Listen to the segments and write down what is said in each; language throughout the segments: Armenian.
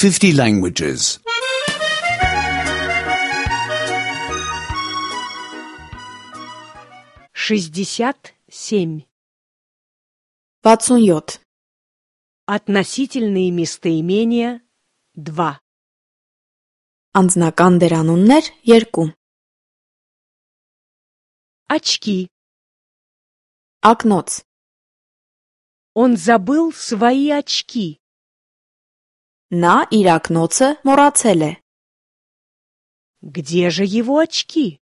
50 languages. 67. 67. Относительные местоимения 2. Անձնական դերանուններ 2. Очки. Ակնոց. Он забыл свои очки. Նա իր ակնոցը մոռացել է. Где же его очки?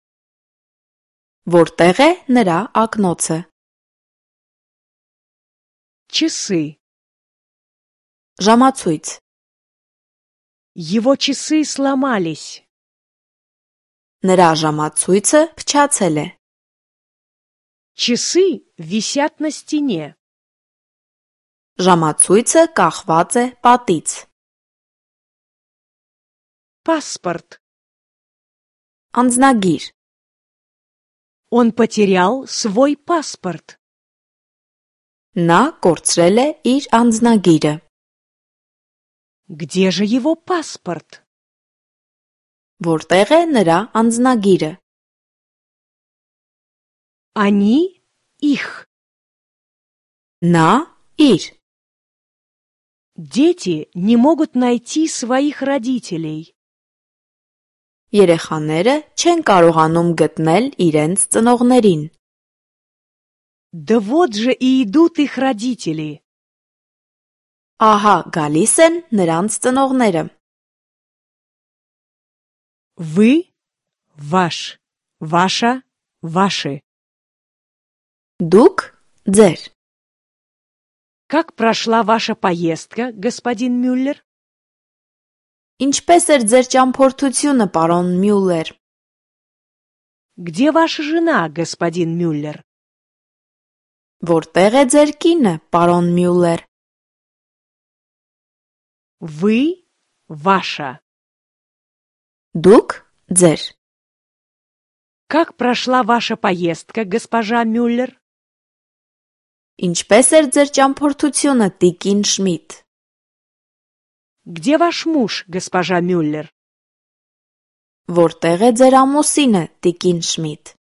Որտեղ է նրա ակնոցը? Часы. Ժամացույց. Его часы сломались. Նրա ժամացույցը փչացել է. Часы висят на стене. Ժամացույցը կախված է պատից. Паспорт. Անձնագիր. Он потерял свой паспорт. Նա կորցրել է իր անձնագիրը. Где же его паспорт? Որտեղ է նրա անձնագիրը? Они их. Նա իր. Дети не могут найти своих родителей. Երեխաները չեն կարողանում գտնել իրենց ծնողներին. Да вот же и идут их родители. Ահա գալիս են նրանց ծնողները. Вы, ваш, ваша, ваши. Դուք ձեր. Как прошла ваша поездка, господин Мюллер? Ինչպես էր ձեր ճամփորդությունը, պարոն Մյուլլեր? Где ваша жена, господин Мюллер? Որտեղ է ձեր կինը, պարոն Մյուլլեր? Вы, ваша. Դուք ձեր. Как прошла ваша поездка, госпожа Мюллер? Ինչպես էր ձեր ճամփորդությունը, տիկին Շմիդ? Где ваш муж, госпожа Мюллер? Որտեղ է ձեր ամուսինը, տիկին Շմիդ?